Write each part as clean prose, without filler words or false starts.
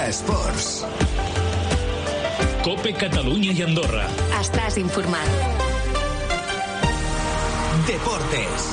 Esports. COPE Catalunya i Andorra. Estàs informat. Deportes.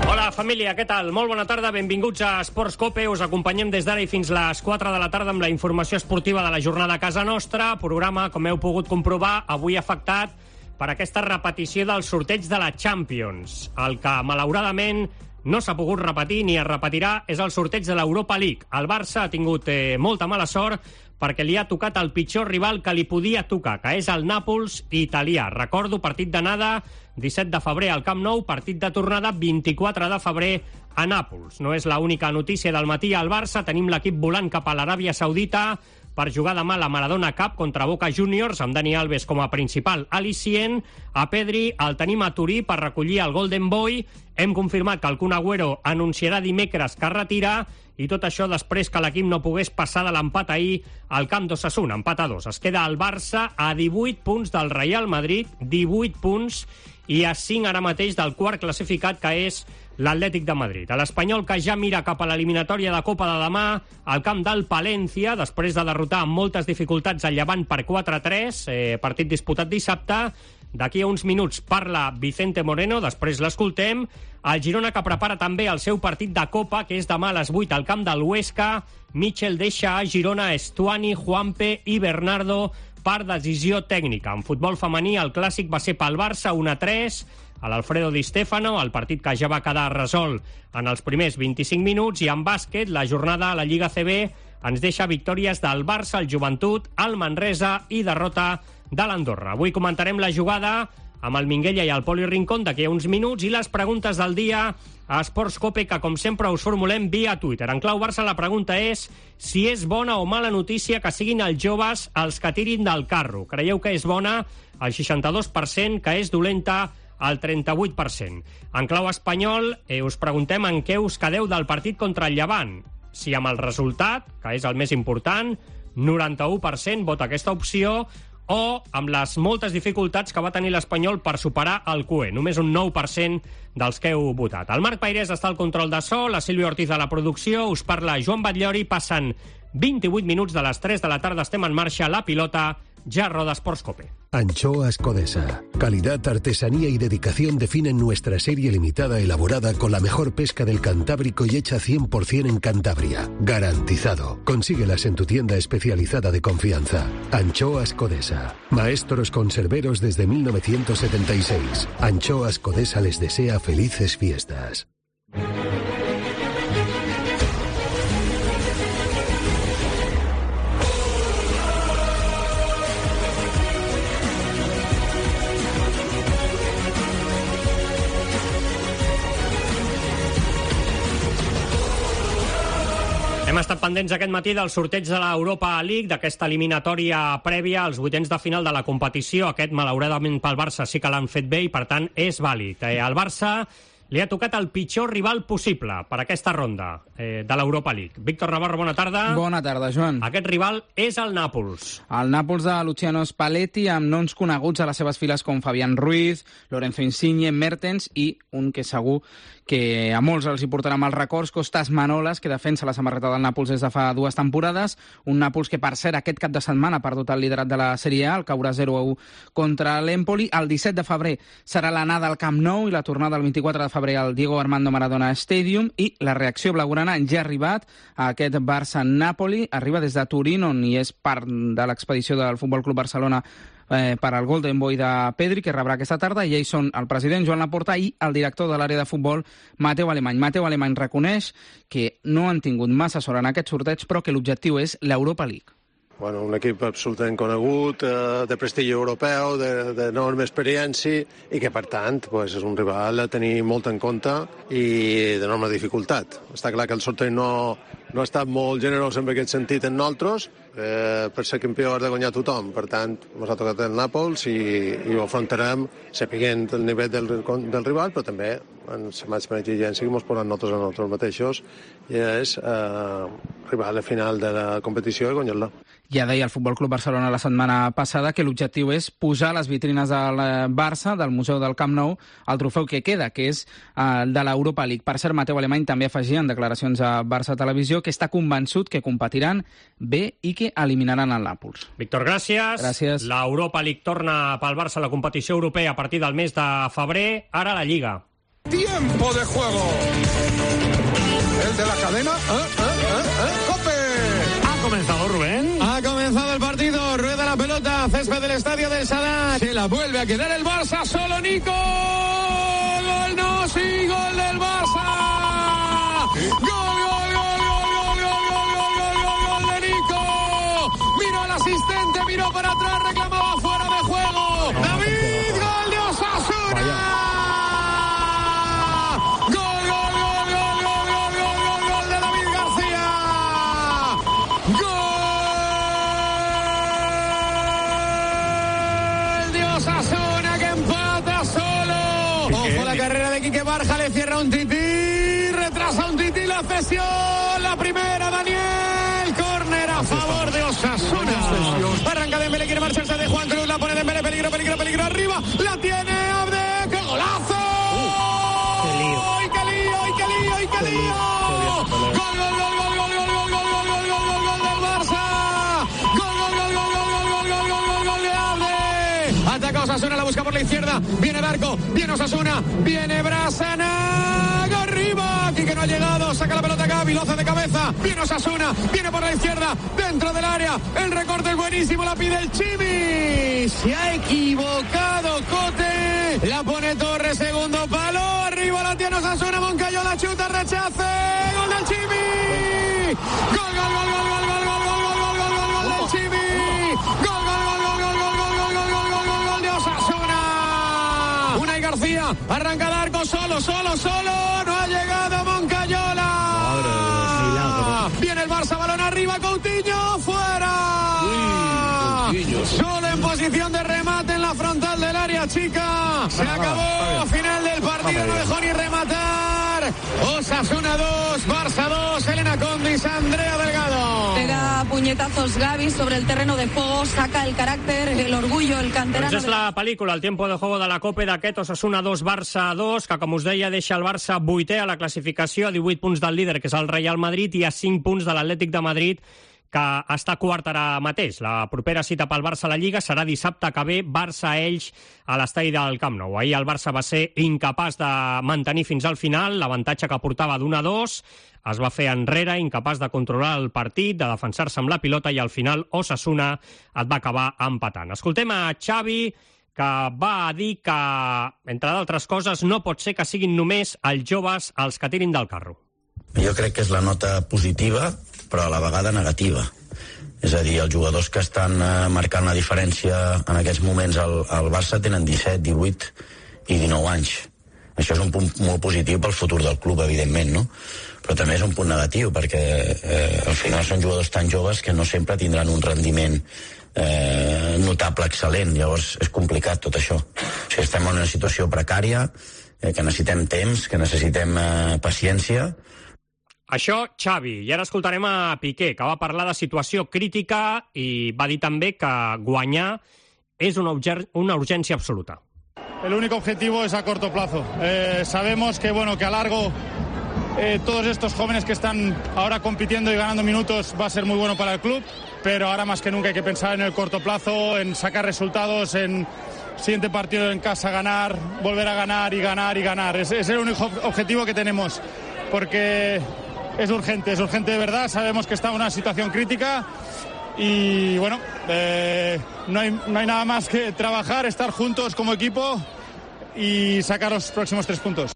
Hola, família, què tal? Molt bona tarda, benvinguts a Esports COPE. Us acompanyem des d'ara i fins les 4 de la tarda amb la informació esportiva de la jornada a casa nostra. Programa, com heu pogut comprovar, avui afectat per aquesta repetició del sorteig de la Champions. El que, malauradament, no s'ha pogut repetir ni es repetirà és el sorteig de l'Europa League. El Barça ha tingut molta mala sort perquè li ha tocat el pitjor rival que li podia tocar, que és el Nàpols italià. Recordo, partit d'anada 17 de febrer al Camp Nou, partit de tornada 24 de febrer a Nàpols. No és l'única notícia del matí al Barça. Tenim l'equip volant cap a l'Aràbia Saudita per jugar demà la Maradona Cup contra Boca Juniors, amb Dani Alves com a principal al·licient. A Pedri el tenim a Turí per recollir el Golden Boy. Hem confirmat que el Kun Agüero anunciarà dimecres que es retira, i tot això després que l'equip no pogués passar de l'empat ahir al camp d'Osasuna, empat a 2. Es queda el Barça a 18 punts del Real Madrid, 18 punts, i a 5 ara mateix del quart classificat, que és l'Atlètic de Madrid. L'Espanyol, que ja mira cap a l'eliminatòria de Copa de demà al camp del Palència, després de derrotar amb moltes dificultats el Llevant per 4-3, partit disputat dissabte. D'aquí a uns minuts parla Vicente Moreno, després l'escoltem. El Girona, que prepara també el seu partit de Copa, que és demà a les 8 al camp del Huesca. Michel deixa a Girona Estuani, Juanpe i Bernardo per decisió tècnica. En futbol femení, el clàssic va ser pel Barça 1-3, a l'Alfredo Di Stefano, el partit que ja va quedar resolt en els primers 25 minuts, i en bàsquet, la jornada a la Lliga CB ens deixa victòries del Barça, el Joventut, el Manresa i derrota de l'Andorra. Avui comentarem la jugada amb el Minguella i el Poli Rincón d'aquí a uns minuts, i les preguntes del dia a Esports COPE, que com sempre us formulem via Twitter. En clau Barça la pregunta és si és bona o mala notícia que siguin els joves els que tirin del carro. Creieu que és bona? El 62%, que és dolenta el 38%. En clau espanyol us preguntem en què us quedeu del partit contra el Llevant. Si amb el resultat, que és el més important, 91% vota aquesta opció, o amb les moltes dificultats que va tenir l'Espanyol per superar el CUE. Només un 9% dels que heu votat. El Marc Pairés està al control de so, la Sílvia Ortiz a la producció, us parla Joan Batllori. Passen 28 minuts de les 3 de la tarda, estem en marxa, la pilota ja roda Esports COPE. Anchoas Codesa. Calidad, artesanía y dedicación definen nuestra serie limitada elaborada con la mejor pesca del Cantábrico y hecha 100% en Cantabria. Garantizado. Consíguelas en tu tienda especializada de confianza. Anchoas Codesa. Maestros conserveros desde 1976. Anchoas Codesa les desea felices fiestas. Hem estat pendents aquest matí del sorteig de l'Europa League, d'aquesta eliminatòria prèvia als vuitens de final de la competició. Aquest, malauradament pel Barça, sí que l'han fet bé i, per tant, és vàlid. Al Barça li ha tocat el pitjor rival possible per aquesta ronda de l'Europa League. Víctor Navarro, bona tarda. Bona tarda, Joan. Aquest rival és el Nàpols. El Nàpols de Luciano Spalletti, amb noms coneguts a les seves files com Fabián Ruiz, Lorenzo Insigne, Mertens i un que segur que a molts els hi portarà mals records, Kostas Manolas, que defensa la samarreta del Nàpols des de fa 2 temporades. Un Nàpols que, per cert, aquest cap de setmana ha perdut el liderat de la Sèrie A, el caurà 0-1 contra l'Empoli. El 17 de febrer serà l'anada al Camp Nou i la tornada el 24 de febrer al Diego Armando Maradona Stadium, i la reacció blaugrana ja ha arribat a aquest Barça-Nàpoli. Arriba des de Turín, on hi és part de l'expedició del Futbol Club Barcelona per al Golden Boy de Pedri, que rebrà aquesta tarda, i ells són el president Joan Laporta i el director de l'àrea de futbol Mateu Alemany. Mateu Alemany reconeix que no han tingut massa sort en aquest sorteig, però que l'objectiu és l'Europa League. Bueno, un equip absolutament conegut, de prestigi europeu, d'enorme experiència, i que, per tant, pues, és un rival a tenir molt en compte i d'enorme dificultat. Està clar que el sorteig no ha estat molt generós en aquest sentit en nosaltres. Per ser campió has de guanyar tothom. Per tant, ens ha tocat el Nàpols i ho afrontarem sapiguent el nivell del rival, però també en la màxima exigència que ens posem nosaltres mateixos, i és arribar a la final de la competició i guanyar-la. Ja deia el Futbol Club Barcelona la setmana passada que l'objectiu és posar a les vitrines del Barça, del Museu del Camp Nou, el trofeu que queda, que és el de l'Europa League. Per cert, Mateu Alemany també afegia en declaracions a Barça Televisió que està convençut que competiran bé i que eliminaran el Nàpols. Víctor, gràcies. Gràcies. L'Europa League torna pel Barça a la competició europea a partir del mes de febrer. Ara la Lliga. Tiempo de juego. El de la cadena. ¡Cope! Ha comenzado Rubén. Ha comenzado el partido. Rueda la pelota. Césped del estadio del Sadar. Se la vuelve a quedar el Barça. Solo Nico. Gol no, sí, gol del Barça. Gol de Nico. Miró al asistente, miró para atrás, reclamaba fuera de juego. David, gol de Osasuna. Carrera de Quique Barja, le cierra un Tití, retrasa un Tití la cesión, la primera Daniel, córner a favor de Osasuna. Arranca Dembélé, quiere marcharse de Juan Cruz, la pone Dembélé, peligro arriba, la tiene Abde, ¡qué golazo! ¡Ay, qué lío! Gol del Barça, gol de Abde. Ataca Osasuna, la busca por la izquierda, viene Barco, viene Osasuna, viene Brasana, arriba, aquí que no ha llegado, saca la pelota Gavi, lo hace de cabeza, viene Osasuna, viene por la izquierda, dentro del área, el recorte es buenísimo, la pide el Chimi, se ha equivocado Cote, la pone Torres, segundo palo, arriba la tiene Osasuna, Moncayola chuta, rechace, gol del Chimi, gol del Chimi, gol de Osasuna. Unai García, arranca el arco solo, no ha llegado Moncayola. Viene el Barça, balón arriba, Coutinho, fuera. Solo en posición de remate en la frontal del área chica. Se acabó, final del partido, no dejó ni rematar. Osasuna 2, Barça 2, Elena Condis, Andrea Delgado. Pega puñetazos Gavi sobre el terreno de juego, saca el carácter, el orgullo, el canterano. Doncs és la pel·lícula, el tiempo de juego de la Copa d'aquest Osasuna 2, Barça 2, que com us deia deixa el Barça 8è a la classificació, a 18 punts del líder, que és el Real Madrid, i a 5 punts de l'Atlètic de Madrid, que està quart ara mateix. La propera cita pel Barça a la Lliga serà dissabte que ve, Barça-Elx a l'estadi del Camp Nou. Ahir el Barça va ser incapaç de mantenir fins al final l'avantatge que portava d'1-2, es va fer enrere, incapaç de controlar el partit, de defensar-se amb la pilota, i al final Osasuna et va acabar empatant. Escoltem a Xavi, que va dir que, entre d'altres coses, no pot ser que siguin només els joves els que tirin del carro. Jo crec que és la nota positiva, però a la vegada negativa. És a dir, els jugadors que estan marcant la diferència en aquests moments al Barça tenen 17, 18 i 19 anys. Això és un punt molt positiu pel futur del club, evidentment, no? Però també és un punt negatiu, perquè al final són jugadors tan joves que no sempre tindran un rendiment notable, excel·lent. Llavors és complicat tot això. O sigui, estem en una situació precària, que necessitem temps, que necessitem paciència. Això, Xavi. I ara escoltarem a Piqué, que va parlar de situació crítica i va dir també que guanyar és una urgència absoluta. El único objetivo es a corto plazo. Sabemos que, que a largo todos estos jóvenes que están ahora compitiendo y ganando minutos va a ser muy bueno para el club, pero ahora más que nunca hay que pensar en el corto plazo, en sacar resultados, en siguiente partido en casa ganar, volver a ganar y ganar y ganar. Es el único objetivo que tenemos, porque es urgente de verdad. Sabemos que está en una situación crítica y no hay nada más que trabajar, estar juntos como equipo y sacar los próximos 3 puntos.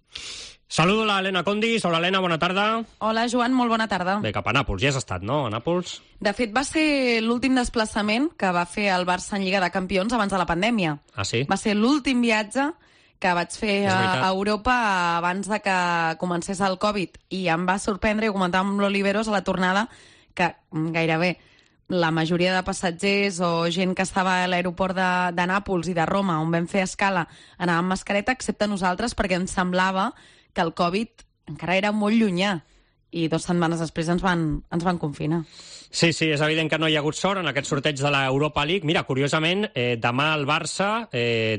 Saludo a l'Helena Condis. Hola, Helena, bona tarda. Hola, Joan, molt bona tarda. Bé, cap a Nàpols. Ja has estat, no, a Nàpols? De fet, va ser l'últim desplaçament que va fer el Barça en Lliga de Campions abans de la pandèmia. Ah, sí? Va ser l'últim viatge que vaig fer a Europa abans de que comencés el Covid, i em va sorprendre, i ho comentàvem amb l'Oliveros a la tornada, que gairebé la majoria de passatgers o gent que estava a l'aeroport de Nàpols i de Roma, on vam fer escala, anava amb mascareta, excepte nosaltres, perquè ens semblava que el Covid encara era molt llunyà i 2 setmanes després ens van confinar. Sí, és evident que no hi ha hagut sort en aquest sorteig de l'Europa League. Mira, curiosament, demà el Barça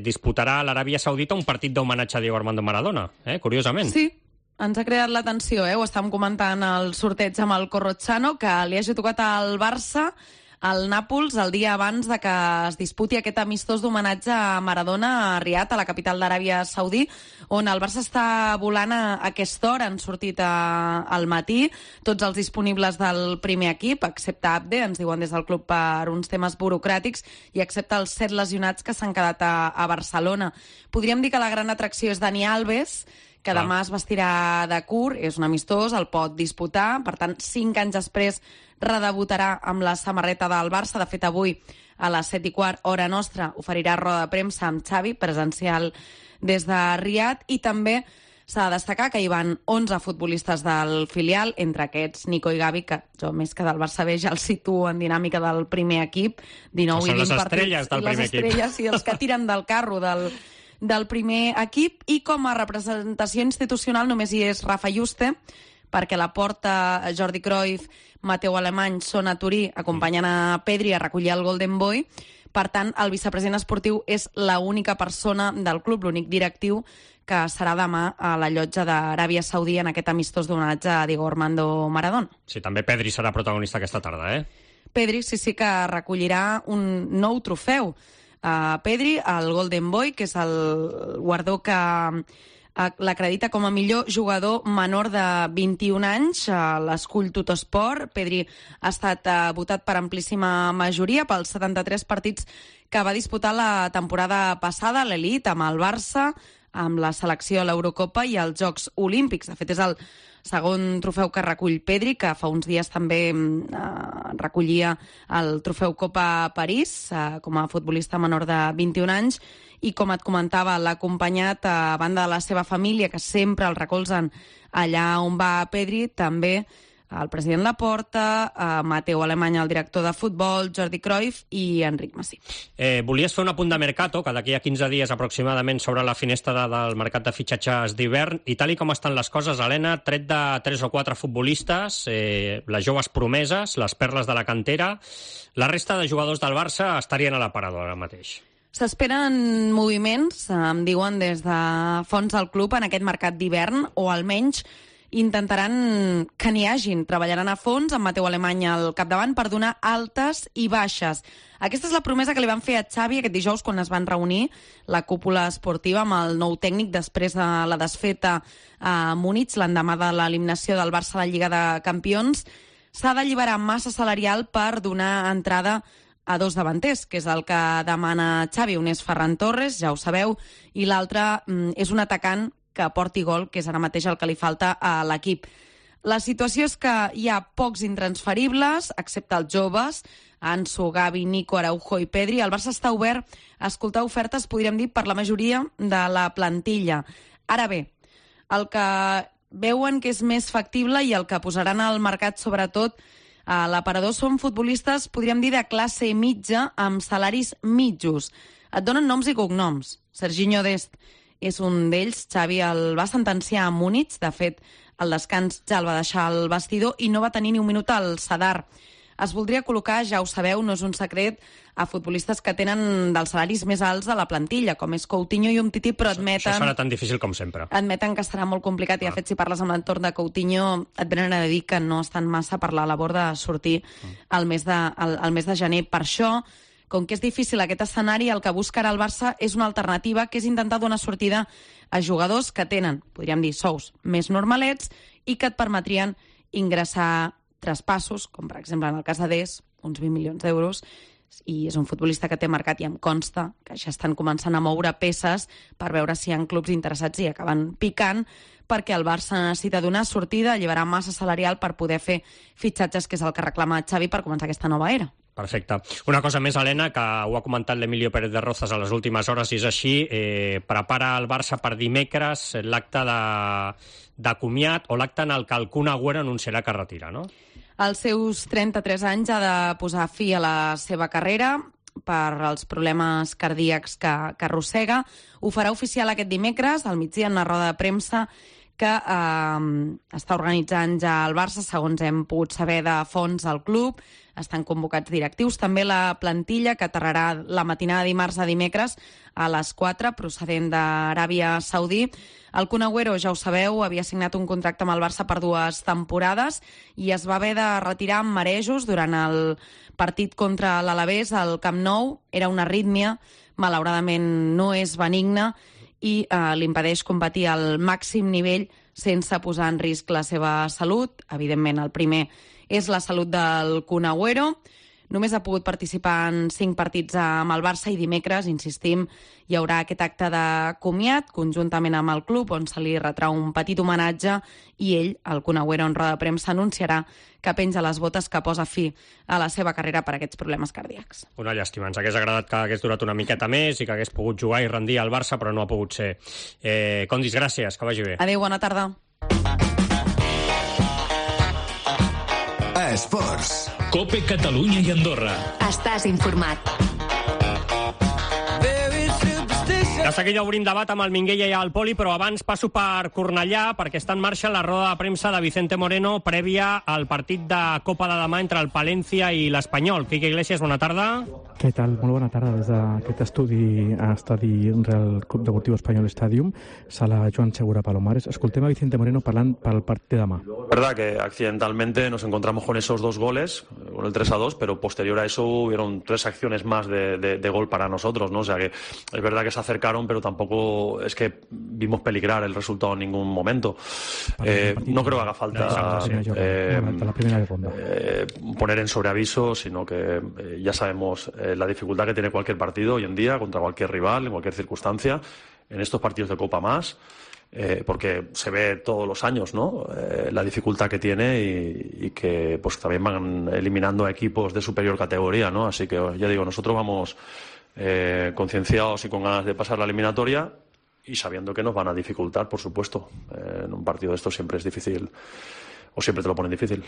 disputarà a l'Aràbia Saudita un partit d'homenatge a Diego Armando Maradona, curiosament. Sí, ens ha creat l'atenció, ho estàvem comentant el sorteig amb el Corrochano, que li hagi tocat al Barça al Nàpols el dia abans de que es disputi aquest amistós d'homenatge a Maradona a Riad, a la capital d'Aràbia Saudí, on el Barça està volant a aquesta hora. Han sortit al matí tots els disponibles del primer equip, excepte Abde, ens diuen des del club per uns temes burocràtics, i excepte els 7 lesionats que s'han quedat a Barcelona. Podríem dir que la gran atracció és Dani Alves, que demà es vestirà de curt, és un amistós, el pot disputar, per tant, 5 anys després redebutarà amb la samarreta del Barça. De fet, avui, a les 7:15, hora nostra, oferirà roda de premsa amb Xavi, presencial des de Riad, i també s'ha de destacar que hi van 11 futbolistes del filial, entre aquests Nico i Gavi, que jo més que del Barça B ja els situo en dinàmica del primer equip, 19 i 20 partits, del primer equip. Les estrelles i els que tiren del carro del primer equip, i com a representació institucional només hi és Rafa Juste, perquè la porta Jordi Cruyff, Mateu Alemany són a Turí acompanyant a Pedri a recollir el Golden Boy. Per tant, el vicepresident esportiu és l'única persona del club, l'únic directiu, que serà demà a la llotja d'Aràbia Saudí en aquest amistós d'homenatge a Diego Armando Maradona. Sí, també Pedri serà protagonista aquesta tarda, Pedri sí que recollirà un nou trofeu. Pedri, el Golden Boy, que és el guardó que l'acredita com a millor jugador menor de 21 anys, l'escull Tuttosport. Pedri ha estat votat per amplíssima majoria pels 73 partits que va disputar la temporada passada a l'elit amb el Barça, amb la selecció a l'Eurocopa i als Jocs Olímpics. De fet, és el segon trofeu que recull Pedri, que fa uns dies també recollia el trofeu Copa París com a futbolista menor de 21 anys, i com et comentava, l'ha acompanyat a banda de la seva família, que sempre el recolzen allà on va Pedri, també el president Laporta, Mateu Alemany, el director de futbol, Jordi Cruyff i Enric Masip. Volies fer un apunt de mercato, que d'aquí a 15 dies aproximadament s'obre la finestra del mercat de fitxatges d'hivern, i tal com estan les coses, Helena, tret de 3 o 4 futbolistes, les joves promeses, les perles de la cantera, la resta de jugadors del Barça estarien a l'aparador ara mateix. S'esperen moviments, em diuen des de fons del club, en aquest mercat d'hivern, o almenys intentaran que n'hi hagin. Treballaran a fons amb Mateu Alemany al capdavant per donar altes i baixes. Aquesta és la promesa que li van fer a Xavi aquest dijous quan es van reunir la cúpula esportiva amb el nou tècnic després de la desfeta a Múnich, l'endemà de l'eliminació del Barça a la Lliga de Campions. S'ha d'alliberar massa salarial per donar entrada a 2 davanters, que és el que demana Xavi. Un és Ferran Torres, ja ho sabeu, i l'altre és un atacant que porti gol, que és ara mateix el que li falta a l'equip. La situació és que hi ha pocs intransferibles, excepte els joves, Ansu, Gavi, Nico, Araujo i Pedri. El Barça està obert a escoltar ofertes, podríem dir, per la majoria de la plantilla. Ara bé, el que veuen que és més factible i el que posaran al mercat, sobretot, a l'aparador, són futbolistes, podríem dir, de classe mitja, amb salaris mitjos. Et donen noms i cognoms. Serginho Dest és un d'ells. Xavi el va sentenciar a Múnich. De fet, al descans ja el va deixar al vestidor i no va tenir ni un minut al Sadar. Es voldria col·locar, ja ho sabeu, no és un secret, a futbolistes que tenen dels salaris més alts de la plantilla, com és Coutinho i Umtiti, però admeten... Això serà tan difícil com sempre. Admeten que serà molt complicat, i de fet, si parles amb l'entorn de Coutinho, et venen a dir que no estan massa per la labor de sortir al mes de gener. Per això, com que és difícil aquest escenari, el que busca ara el Barça és una alternativa, que és intentar donar sortida a jugadors que tenen, podríem dir, sous més normalets i que et permetrien ingressar traspassos, com per exemple en el cas de Des, uns 20 milions d'euros, i és un futbolista que té mercat i em consta que ja estan començant a moure peces per veure si hi ha clubs interessats i acaben picant, perquè el Barça necessita donar sortida, alliberar massa salarial per poder fer fitxatges, que és el que reclama Xavi per començar aquesta nova era. Perfecte. Una cosa més, Helena, que ho ha comentat l'Emilio Pérez de Rozas a les últimes hores, i és així, prepara el Barça per dimecres l'acte de comiat o l'acte en el que el Kun Agüero anunciarà que retira, no? Als seus 33 anys ha de posar fi a la seva carrera per als problemes cardíacs que arrossega. Ho farà oficial aquest dimecres, al migdia, en una roda de premsa que està organitzant ja el Barça, segons hem pogut saber de fonts del club. Estan convocats directius. També la plantilla, que aterrarà la matinada de dimarts a dimecres a les 4, procedent d'Aràbia Saudí. El Kun Agüero, ja ho sabeu, havia signat un contracte amb el Barça per 2 temporades i es va haver de retirar amb marejos durant el partit contra l'Alavés al Camp Nou. Era una arrítmia, malauradament no és benigna, i l'impedeix competir al màxim nivell sense posar en risc la seva salut. Evidentment, el primer és la salut del Kun Agüero. Només ha pogut participar en 5 partits amb el Barça i dimecres, insistim, hi haurà aquest acte de comiat conjuntament amb el club on se li retrà un petit homenatge i ell, el Kun Agüero, en roda de premsa anunciarà que penja les botes, que posa fi a la seva carrera per aquests problemes cardíacs. Una llàstima, ens hagués agradat que hagués durat una miqueta més i que hagués pogut jugar i rendir al Barça, però no ha pogut ser. Condis, gràcies, que vagi bé. Adéu, bona tarda. Esports. COPE Catalunya i Andorra. Estàs informat. De seguida obrim debat amb el Minguella i el Poli, però abans passo per Cornellà perquè està en marxa la roda de premsa de Vicente Moreno prèvia al partit de Copa de demà entre el Palència i l'Espanyol. Quique Iglesias, bona tarda. Què tal? Molt bona tarda des d'aquest estudi Real Club Deportivo Espanyol Stadium, sala Joan Segura Palomares. Escoltem a Vicente Moreno parlant pel partit de demà. Verdad que accidentalmente nos encontramos con esos 2 goles, con el 3-2, pero posterior a eso hubieron 3 acciones más de gol para nosotros, ¿no? O sea que es verdad que se acercaron, pero tampoco es que vimos peligrar el resultado en ningún momento. No creo que haga falta poner en sobreaviso, sino que ya sabemos la dificultad que tiene cualquier partido hoy en día contra cualquier rival, en cualquier circunstancia, en estos partidos de Copa más, porque se ve todos los años, ¿no? La dificultad que tiene y que pues también van eliminando a equipos de superior categoría, ¿no? Así que ya digo, nosotros vamos concienciados y con ganas de pasar la eliminatoria y sabiendo que nos van a dificultar, por supuesto. En un partido de estos siempre es difícil, o siempre te lo ponen difícil.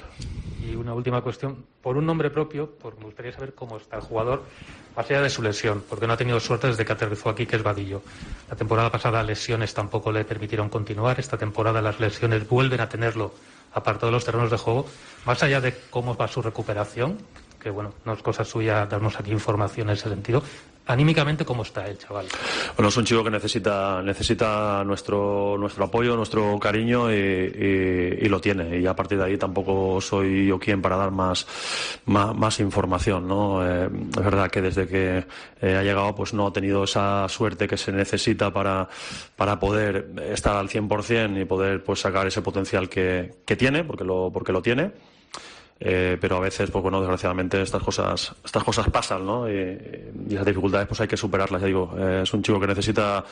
Y una última cuestión, por un nombre propio, me gustaría saber cómo está el jugador más allá de su lesión, porque no ha tenido suerte desde que aterrizó aquí, que es Vadillo. La temporada pasada lesiones tampoco le permitieron continuar, esta temporada las lesiones vuelven a tenerlo apartado de los terrenos de juego. Más allá de cómo va su recuperación, que bueno, no es cosa suya darnos aquí información en ese sentido, anímicamente, ¿cómo está el chaval? Bueno, es un chico que necesita nuestro apoyo, nuestro cariño y lo tiene. Y a partir de ahí tampoco soy yo quien para dar más información, ¿no? Es verdad que desde que ha llegado pues no ha tenido esa suerte que se necesita para poder estar al 100% y poder pues sacar ese potencial que tiene, porque lo tiene. Pero a veces, pues bueno, desgraciadamente estas cosas pasan, ¿no? Y esas dificultades pues hay que superarlas, ya digo. Es un chico que necesita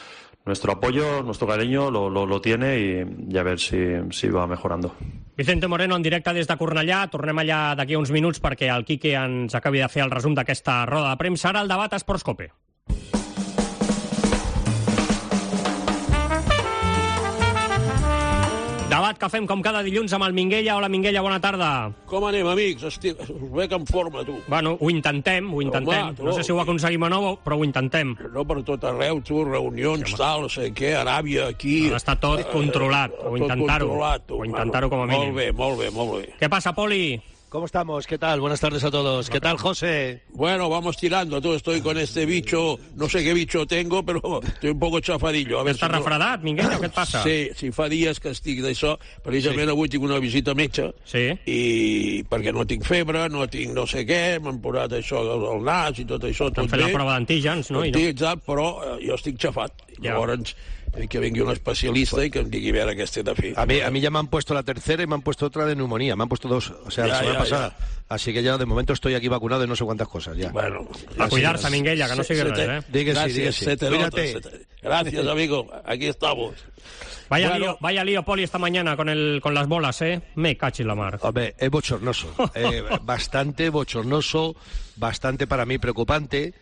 nuestro apoyo, nuestro cariño, lo tiene y a ver si va mejorando. Vicente Moreno en directe des de Cornellà. Tornem allà d'aquí uns minuts perquè el Quique ens acabi de fer el resum d'aquesta roda de premsa. Ara el debat a Esports Cope. Debat que fem com cada dilluns amb el Minguella. Hola, Minguella, bona tarda. Com anem, amics? Us veig en forma, tu. Bueno, ho intentem. Home, no sé si ho aconseguim o no, però ho intentem. No per tot arreu, tu, reunions, tal, no sé què, Aràbia, aquí... Està tot controlat, o intentar-ho com a mínim. Molt bé. Què passa, Poli? ¿Cómo estamos? ¿Qué tal? Buenas tardes a todos. ¿Qué tal, José? Bueno, vamos tirando. Tú, estoy con este bicho, no sé qué bicho tengo, però estoy un poco chafadillo. A ver Estàs refredat, Minguella, o què et passa? Sí, fa dies que estic d'això. Precisament avui tinc una visita a metge. Sí. I perquè no tinc febre, no tinc no sé què, m'han posat això al nas i tot això. T'han fet la prova d'antígens, no? Però jo estic xafat. Llavors, que vengui un especialista y que em digui a veure què esté de fer. A mí ya me han puesto la tercera y me han puesto otra de neumonía. Me han puesto 2, o sea, la semana pasada. Así que ya de momento estoy aquí vacunado y no sé cuántas cosas ya. Bueno, a cuidarse, Minguella, que no sigue res, Dígase. Cuídate. Gracias, amigo. Aquí estamos. Vaya lío, Poli, esta mañana con las bolas, ¿eh? Me cachi la mar. Hombre, es bochornoso. Bastante bochornoso, bastante para mí preocupante.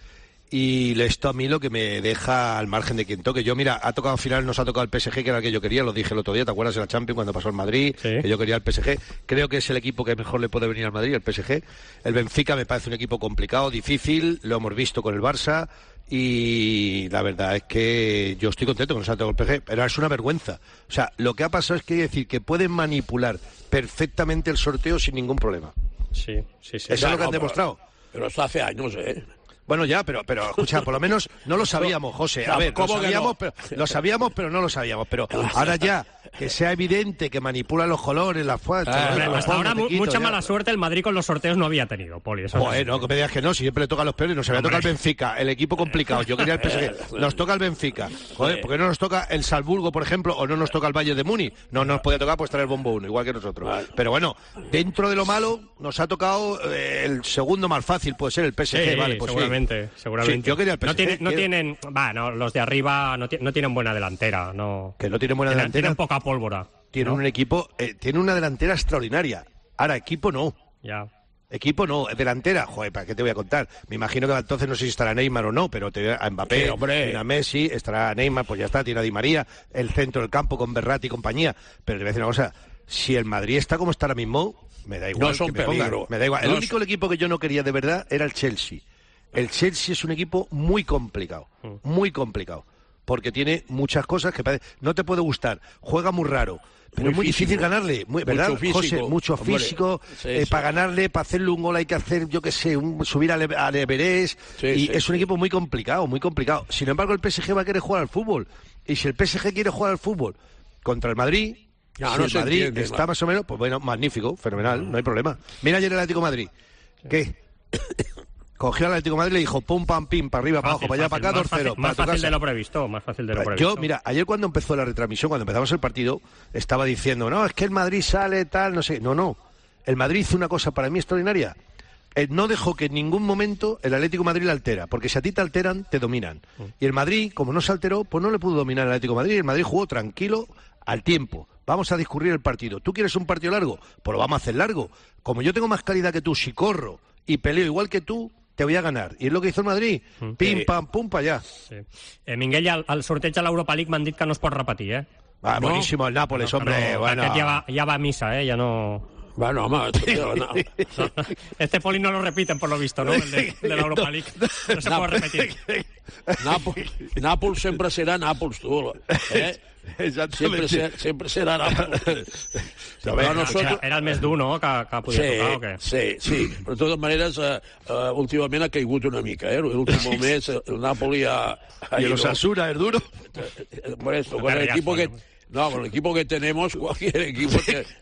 Y esto a mí lo que me deja al margen de quien toque. Yo, mira, ha tocado al final, nos ha tocado el PSG, que era el que yo quería, lo dije el otro día, ¿te acuerdas de la Champions cuando pasó el Madrid? Sí. Que yo quería el PSG. Creo que es el equipo que mejor le puede venir al Madrid, el PSG. El Benfica me parece un equipo complicado, difícil, lo hemos visto con el Barça. y la verdad es que yo estoy contento con el Santiago del PSG, pero es una vergüenza. O sea, lo que ha pasado es que hay que decir que pueden manipular perfectamente el sorteo sin ningún problema. Sí. Eso es lo que han demostrado. Pero eso hace años, Bueno, ya, pero escucha, por lo menos no lo sabíamos, José. A ver, lo sabíamos, pero no lo sabíamos. Pero ahora ya, que sea evidente que manipula los colores, las fuerzas... hasta ahora mucha mala suerte el Madrid con los sorteos no había tenido, Poli. Bueno, que me digas que no, siempre le toca a los peores, nos había tocado el Benfica, el equipo complicado. Yo quería el PSG, nos toca el Benfica. Joder, ¿por qué no nos toca el Salzburgo, por ejemplo, o no nos toca el Bayern de Múnich? No nos podía tocar pues traer el bombo 1, igual que nosotros. Pero bueno, dentro de lo malo, nos ha tocado el segundo más fácil, puede ser el PSG, vale, pues seguramente. Sí, yo quería el PSG. Los de arriba no tienen buena delantera. Que no tienen buena delantera. Tienen poca pólvora. Tienen un equipo, tiene una delantera extraordinaria. Ahora, equipo no. Ya. Equipo no, delantera. Joder, ¿para qué te voy a contar? Me imagino que entonces no sé si estará Neymar o no, pero te a Mbappé, a Messi, estará Neymar, pues ya está, tiene a Di María, el centro del campo con Berratti y compañía. Pero te voy a decir una cosa, si el Madrid está como está ahora mismo, me da igual. No son peligro. Me da igual. El único equipo que yo no quería de verdad era el Chelsea. El Chelsea es un equipo muy complicado, porque tiene muchas cosas que no te puede gustar, juega muy raro, pero es muy difícil ganarle, ¿verdad, José? Mucho físico, para ganarle, para hacerle un gol hay que hacer, yo qué sé, subir al Everest, es un equipo muy complicado. Sin embargo, el PSG va a querer jugar al fútbol, y si el PSG quiere jugar al fútbol contra el Madrid... Si el Madrid está más o menos, pues bueno, magnífico, fenomenal, no hay problema. Mira ayer el Atlético de Madrid, ¿qué? Cogió al Atlético de Madrid y le dijo pum, pam, pim, para arriba, para abajo, para allá, para acá, 2-0. Más fácil de lo previsto, Yo, mira, ayer cuando empezó la retransmisión, cuando empezamos el partido, estaba diciendo, no, es que el Madrid sale tal, no sé. No. El Madrid hizo una cosa para mí extraordinaria. No dejó que en ningún momento el Atlético de Madrid le altera, porque si a ti te alteran, te dominan. Y el Madrid, como no se alteró, pues no le pudo dominar al Atlético de Madrid. El Madrid jugó tranquilo al tiempo. Vamos a discurrir el partido. ¿Tú quieres un partido largo? Pues lo vamos a hacer largo. Como yo tengo más calidad que tú, si corro y peleo igual que tú, te voy a ganar. I és el que hizo el Madrid. Pim, pam, pum, pa allá. Sí. Minguell, el sorteig de l'Europa League m'han dit que no es pot repetir, Buenísimo el Nápoles, hombre. Bueno. Aquest ja va a misa, ya no... Bueno, home... Este Poli no lo repiten, por lo visto, ¿no? El de la Europa League. No se puede repetir. Nàpols sempre serà Nàpols, tu. Sempre serà Nàpols. Era el més dur, no?, que podia tocar, o què? Sí. Però de totes maneres, últimament ha caigut una mica, L'últim mes el Napoli ha... I el Osasuna es duro. Por esto, con el equipo que... No, con el equipo que tenemos, cualquier equipo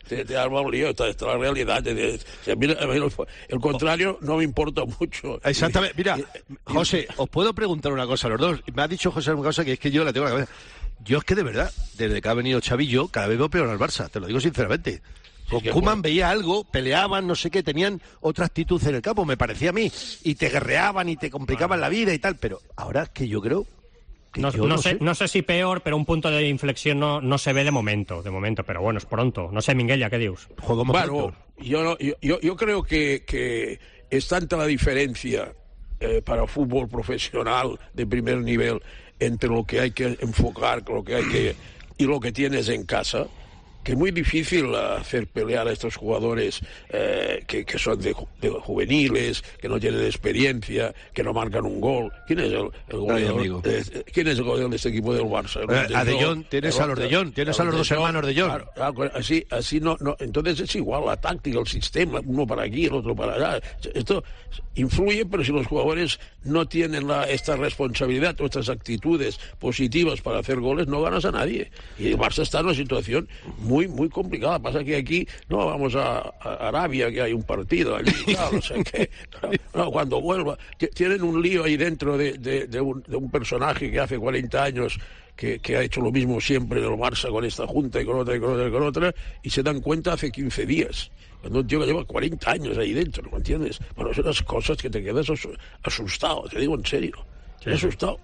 te arma un lío. Esta es la realidad. El contrario no me importa mucho. Exactamente. Mira, José, os puedo preguntar una cosa a los dos. Me ha dicho José una cosa que es que yo la tengo en la cabeza. Yo es que de verdad, desde que ha venido Xavi, yo cada vez veo peor al Barça, te lo digo sinceramente. Con Koeman veía algo, peleaban, no sé qué, tenían otra actitud en el campo, me parecía a mí, y te guerreaban y te complicaban la vida y tal, pero ahora es que yo creo... No sé si peor, pero un punto de inflexión no se ve de momento, pero bueno, es pronto. No sé, Minguella, ¿qué dius? Bueno, yo creo que es tanta la diferencia para fútbol profesional de primer nivel entre lo que hay que enfocar, y lo que tienes en casa, que es muy difícil hacer pelear a estos jugadores que son de juveniles, que no tienen experiencia, que no marcan un gol. ¿Quién es el goleador? ¿Quién es el goleador de este equipo del Barça? A De Jong, tienes a los De Jong, tienes a los dos hermanos De Jong. Claro, así no. Entonces es igual la táctica, el sistema, uno para aquí, el otro para allá. Esto influye, pero si los jugadores no tienen esta responsabilidad o estas actitudes positivas para hacer goles, no ganas a nadie. Y el Barça está en una situación muy complicada. Pasa que aquí no vamos a Arabia, que hay un partido allí, no sé qué. No, cuando vuelva, tienen un lío ahí dentro de un personaje que hace 40 años que ha hecho lo mismo siempre en el Barça con esta junta y con otra, y se dan cuenta hace 15 días. Cuando un tío que lleva 40 años ahí dentro, ¿me entiendes? Bueno, son las cosas que te quedas asustado, te digo en serio. Sí. Asustado.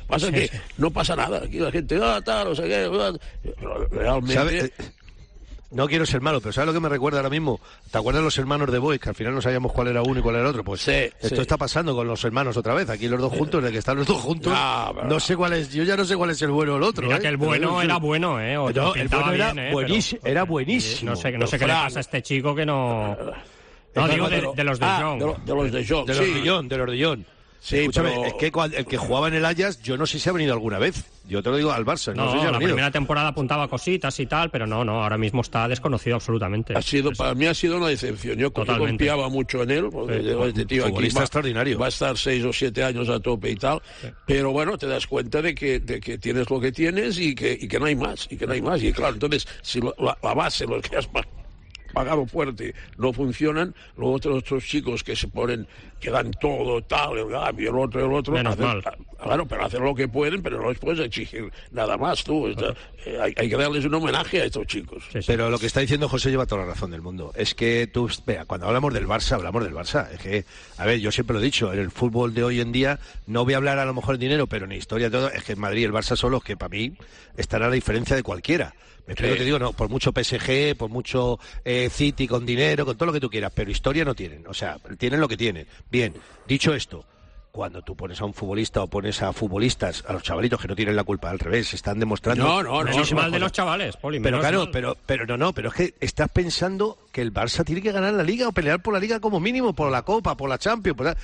Pasa que no pasa nada. Aquí la gente, tal, no sé qué. Pero realmente... ¿Sabe? No quiero ser malo, pero ¿sabes lo que me recuerda ahora mismo? ¿Te acuerdas los hermanos de Boys? Que al final no sabíamos cuál era uno y cuál era el otro. Pues esto está pasando con los hermanos otra vez. Aquí los dos juntos, de que están los dos juntos. No sé cuál es, yo ya no sé cuál es el bueno o el otro. Mira que el bueno era bueno, O no, el bueno era bien, buenísimo. Pero, era buenísimo. No sé qué le pasa a este chico que no... No, digo de los de Jong. De los de Jong, de los de Jong. Sí, escúchame, pero... es que el que jugaba en el Ajax, yo no sé si ha venido alguna vez. Yo te lo digo al Barça, no sé si ha la venido. primera temporada apuntaba cositas y tal, pero no, ahora mismo está desconocido absolutamente. Para mí ha sido una decepción. Yo confiaba mucho en él, porque este tío aquí extraordinario. Va a estar 6 o 7 años a tope y tal, pero bueno, te das cuenta de que tienes lo que tienes y que no hay más, y claro, entonces, si la base, los que has pagado fuerte, no funcionan, luego otros chicos que se ponen, que dan todo, tal, el Gavi, el otro, menos mal. Claro, pero hacen lo que pueden, pero no les puedes exigir nada más, tú. Hay que darles un homenaje a estos chicos. Sí. Pero lo que está diciendo José lleva toda la razón del mundo. Es que tú, vea, cuando hablamos del Barça. Es que, a ver, yo siempre lo he dicho, en el fútbol de hoy en día, no voy a hablar a lo mejor de dinero, pero en historia todo, es que en Madrid y el Barça son los que para mí estará a la diferencia de cualquiera. Me explico, te digo, no, por mucho PSG, por mucho City con dinero, con todo lo que tú quieras, pero historia no tienen, o sea, tienen lo que tienen. Bien, dicho esto, cuando tú pones a un futbolista o pones a futbolistas, a los chavalitos que no tienen la culpa, al revés, están demostrando... No, es mal de los chavales, Poli. Pero claro, pero es que estás pensando que el Barça tiene que ganar la Liga o pelear por la Liga como mínimo, por la Copa, por la Champions,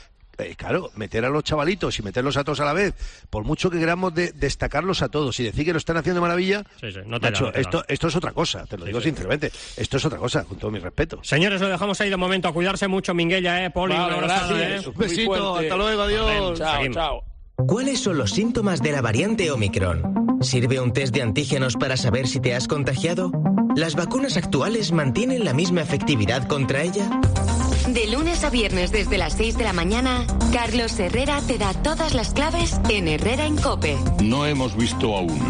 claro, meter a los chavalitos y meterlos a todos a la vez, por mucho que queramos destacarlos a todos y decir que lo están haciendo maravilla, no te macho, esto es otra cosa, te lo digo sinceramente, esto es otra cosa, con todo mi respeto. Señores, lo dejamos ahí de momento, a cuidarse mucho, Minguella, Poli, vale, un abrazo, gracias. Un besito, hasta luego, adiós. Chao. ¿Cuáles son los síntomas de la variante Omicron? ¿Sirve un test de antígenos para saber si te has contagiado? ¿Las vacunas actuales mantienen la misma efectividad contra ella? De lunes a viernes desde las 6 de la mañana, Carlos Herrera te da todas las claves en Herrera en COPE. No hemos visto aún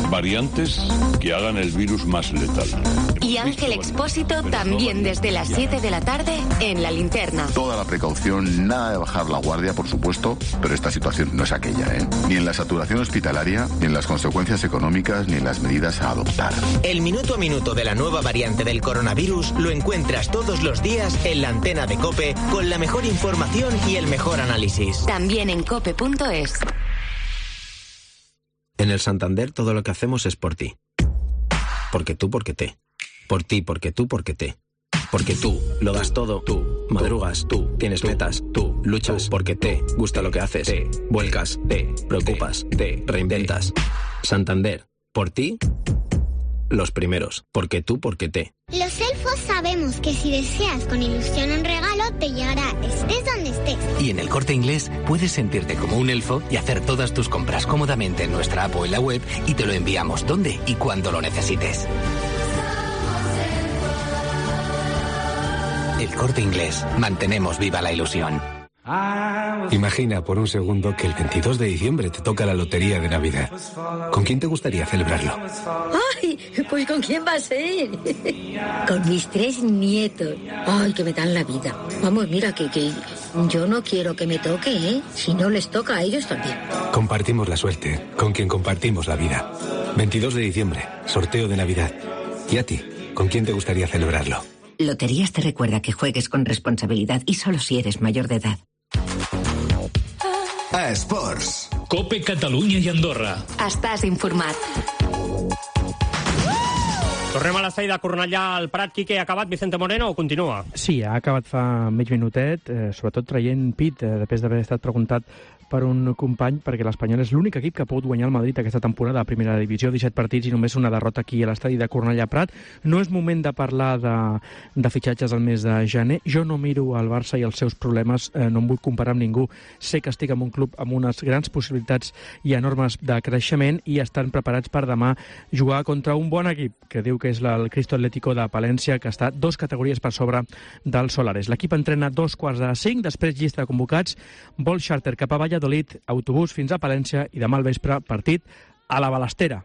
variantes que hagan el virus más letal. Y Ángel Expósito también desde las 7 de la tarde en La Linterna. Toda la precaución, nada de bajar la guardia, por supuesto, pero esta situación no es aquella, Ni en la saturación hospitalaria, ni en las consecuencias económicas, ni en las medidas a adoptar. El minuto a minuto de la nueva variante del coronavirus lo encuentras todos los días en la antena de COPE con la mejor información y el mejor análisis. También en cope.es. En el Santander todo lo que hacemos es por ti. Porque tú, porque te. Por ti, porque tú, porque te. Porque tú lo das todo, tú madrugas, tú tienes metas, tú luchas, porque te gusta lo que haces, te vuelcas, te preocupas, te reinventas. Santander, por ti, los primeros. Porque tú, porque te. Los elfos sabemos que si deseas con ilusión un regalo, te llegará estés donde estés. Y en el Corte Inglés puedes sentirte como un elfo y hacer todas tus compras cómodamente en nuestra app o en la web y te lo enviamos donde y cuando lo necesites. El Corte Inglés. Mantenemos viva la ilusión. Imagina por un segundo que el 22 de diciembre te toca la lotería de Navidad. ¿Con quién te gustaría celebrarlo? ¡Ay! Pues ¿con quién va a ser? Con mis 3 nietos. ¡Ay, que me dan la vida! Vamos, mira, que yo no quiero que me toque, Si no les toca a ellos también. Compartimos la suerte, con quien compartimos la vida. 22 de diciembre, sorteo de Navidad. ¿Y a ti? ¿Con quién te gustaría celebrarlo? Loterías te recuerda que juegues con responsabilidad y solo si eres mayor de edad. A Esports. COPE Catalunya i Andorra. Estàs informat. Tornem a l'estadi de Cornellà al Prat. Quique, ha acabat Vicente Moreno o continua? Sí, ha acabat fa mig minutet, sobretot traient pit, després d'haver estat preguntat per un company, perquè l'Espanyol és l'únic equip que ha pogut guanyar el Madrid aquesta temporada a primera divisió, 17 partits i només una derrota aquí a l'estadi de Cornellà Prat. No és moment de parlar de fitxatges al mes de gener. Jo no miro al Barça i els seus problemes, no em vull comparar amb ningú. Sé que estic en un club amb unes grans possibilitats i enormes de creixement i estan preparats per demà jugar contra un bon equip, que diu que és el Cristo Atlético de Palència, que està 2 categories per sobre del Solares. L'equip entrena 2:45, després llista de convocats, vol xàrter cap a Valladolid, autobús fins a Palència i demà al vespre partit a la Balestera.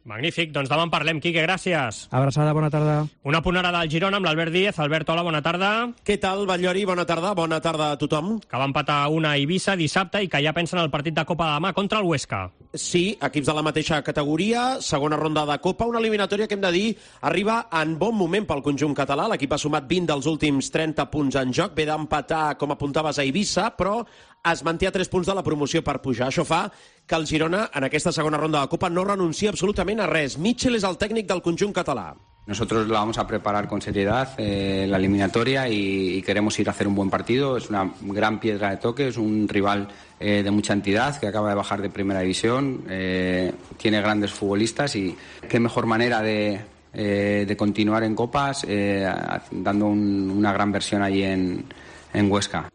Magnífic, doncs demà en parlem, Quique, gràcies. Abraçada, bona tarda. Una punt ara del Girona amb l'Albert Díez. Albert, hola, bona tarda. Què tal, Batllori? Bona tarda a tothom. Que va empatar una a Eivissa dissabte i que ja pensen el partit de Copa de demà contra el Huesca. Sí, equips de la mateixa categoria, segona ronda de Copa, una eliminatòria que hem de dir arriba en bon moment pel conjunt català. L'equip ha sumat 20 dels últims 30 punts en joc, ve d'empatar, com apuntaves, a Eivissa, però es manté a 3 punts de la promoció per pujar. Això fa que el Girona, en aquesta segona ronda de Copa, no renuncia absolutament a res. Mitchell és el tècnic del conjunt català. Nosotros la vamos a preparar con seriedad, la eliminatoria, y queremos ir a hacer un buen partido. Es una gran piedra de toque, es un rival de mucha entidad que acaba de bajar de primera división, tiene grandes futbolistas y qué mejor manera de continuar en Copas dando una gran versión allí en Huesca.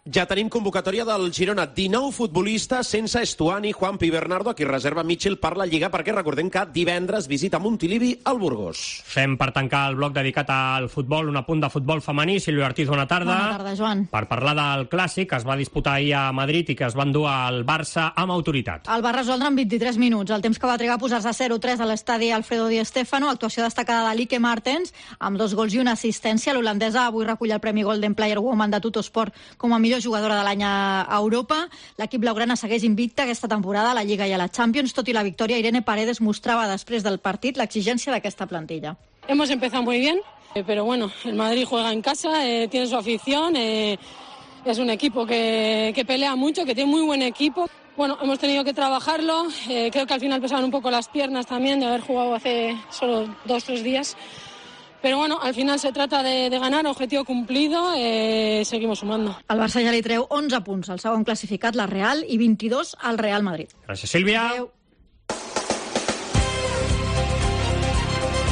Ja tenim convocatòria del Girona. 19 futbolistes sense Estuani, Juanpi i Bernardo, a qui reserva Mitchell per la Lliga, perquè recordem que divendres visita Montilivi al Burgos. Fem per tancar el bloc dedicat al futbol, un apunt de futbol femení. Sílvia Ortiz, bona tarda. Bona tarda, Joan. Per parlar del clàssic que es va disputar ahir a Madrid i que es va endur al Barça amb autoritat. El va resoldre en 23 minuts, el temps que va trigar a posar-se 0-3 a l'estadi Alfredo Di Stéfano, actuació destacada de Lieke Martens, amb 2 gols i una assistència. L'holandesa avui recull el Premi Golden Player Woman de Tuttosport com a millor jugadora de l'any a Europa. L'equip blaugrana segueix invicta aquesta temporada a la Lliga i a la Champions. Tot i la victòria, Irene Paredes mostrava després del partit l'exigència d'aquesta plantilla. Hemos empezado muy bien, pero bueno, el Madrid juega en casa, tiene su afición, es un equipo que pelea mucho, que tiene muy buen equipo. Bueno, hemos tenido que trabajarlo, creo que al final pesaban un poco las piernas también de haber jugado hace solo 2 o 3 días. Però bueno, al final se trata de ganar, objetivo cumplido, seguimos sumando. El Barça ja li treu 11 punts al segon classificat, la Real, i 22 al Real Madrid. Gràcies, Sílvia. Adéu.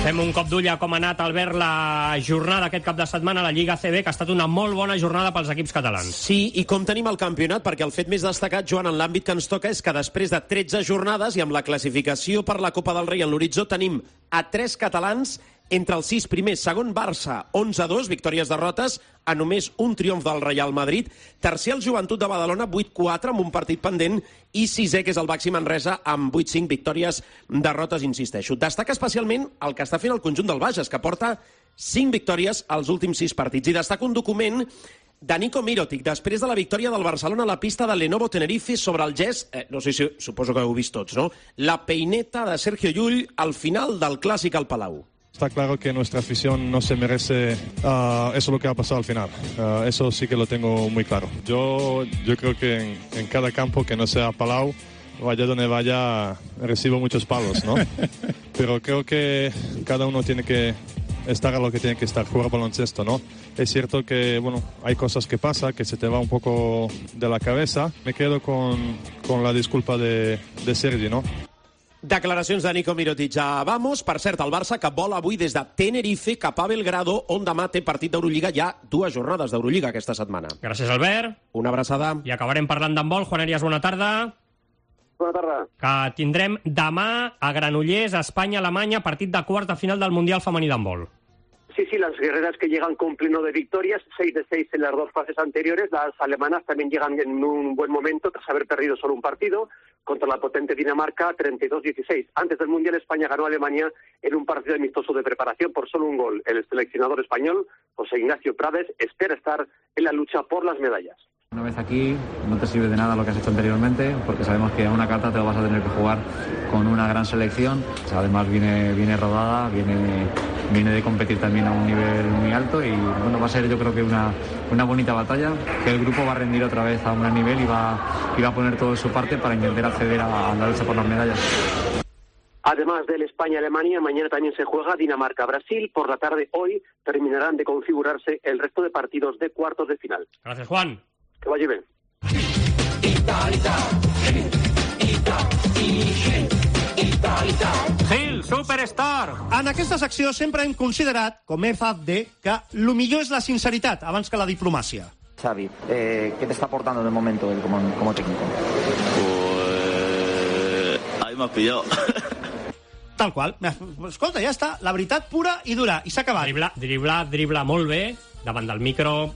Fem un cop d'ull a com ha anat, Albert, la jornada aquest cap de setmana a la Lliga ACB, que ha estat una molt bona jornada pels equips catalans. Sí, i com tenim el campionat? Perquè el fet més destacat, Joan, en l'àmbit que ens toca és que després de 13 jornades i amb la classificació per la Copa del Rei en l'horitzó tenim a 3 catalans entre els 6 primers. Segon, Barça, 11-2, victòries-derrotes, a només un triomf del Real Madrid. Tercer, el Joventut de Badalona, 8-4, amb un partit pendent. I sisè, que és el Baxi Manresa, amb 8-5, victòries-derrotes, insisteixo. Destaca especialment el que està fent el conjunt del Bages, que porta 5 victòries als últims 6 partits. I destaca un document de Nico Mirotic, després de la victòria del Barcelona a la pista de Lenovo Tenerife sobre el gest, no sé si suposo que ho heu vist tots, no? La peineta de Sergio Llull al final del Clàssic al Palau. Está claro que nuestra afición no se merece eso lo que ha pasado al final. Eso sí que lo tengo muy claro. Yo creo que en cada campo que no sea Palau, vaya donde vaya, recibo muchos palos, ¿no? Pero creo que cada uno tiene que estar a lo que tiene que estar, jugar baloncesto, ¿no? Es cierto que, bueno, hay cosas que pasan, que se te va un poco de la cabeza. Me quedo con la disculpa de Sergi, ¿no? Declaracions de Nico Mirotic a Vamos. Per cert, el Barça que vola avui des de Tenerife cap a Belgrado, on demà té partit d'Eurolliga. Hi ha 2 jornades d'Eurolliga aquesta setmana. Gràcies, Albert. Una abraçada. I acabarem parlant d'handbol. Juan Arias, bona tarda. Bona tarda. Que tindrem demà a Granollers, Espanya-Alemanya, partit de quarta final del Mundial femení d'handbol. Sí, las guerreras que llegan con pleno de victorias, 6 de 6 en las 2 fases anteriores. Las alemanas también llegan en un buen momento tras haber perdido solo un partido contra la potente Dinamarca, 32-16. Antes del Mundial, España ganó a Alemania en un partido amistoso de preparación por solo un gol. El seleccionador español, José Ignacio Prades, espera estar en la lucha por las medallas. Una vez aquí no te sirve de nada lo que has hecho anteriormente, porque sabemos que a una carta te lo vas a tener que jugar con una gran selección. Además viene rodada, viene de competir también a un nivel muy alto y bueno, va a ser yo creo que una bonita batalla, que el grupo va a rendir otra vez a un gran nivel y va a poner todo de su parte para intentar acceder a la lucha por las medallas. Además del España-Alemania, mañana también se juega Dinamarca-Brasil. Por la tarde hoy terminarán de configurarse el resto de partidos de cuartos de final. Gracias, Juan. Que vagi bé. Gil, Superstar! En aquesta secció sempre hem considerat, com FAFD, que el millor és la sinceritat abans que la diplomàcia. Xavi, ¿qué te está aportando de momento él como técnico? Pues ahí me has pillado. Tal qual. Escolta, ja està. La veritat pura i dura. I s'ha acabat. Dribla molt bé. Davant del micro,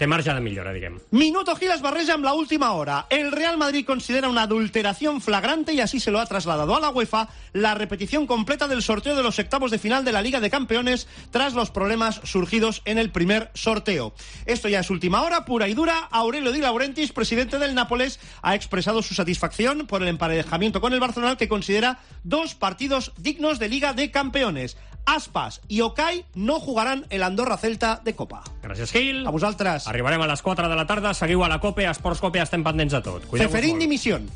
té marge de millora, diguem. Minuto Gil es barreja amb la última hora. El Real Madrid considera una adulteración flagrante y así se lo ha trasladado a la UEFA la repetición completa del sorteo de los octavos de final de la Liga de Campeones tras los problemas surgidos en el primer sorteo. Esto ya es última hora, pura y dura. Aurelio Di Laurentiis, presidente del Nápoles, ha expresado su satisfacción por el emparejamiento con el Barcelona, que considera 2 partidos dignos de Liga de Campeones. Aspas i Okay no jugaran el Andorra-Celta de Copa. Gràcies, Gil. A vosaltres. Arribarem a les 4 de la tarda. Seguiu a la COPE, a Esports COPE, estem pendents de tot. Ceferín dimisión.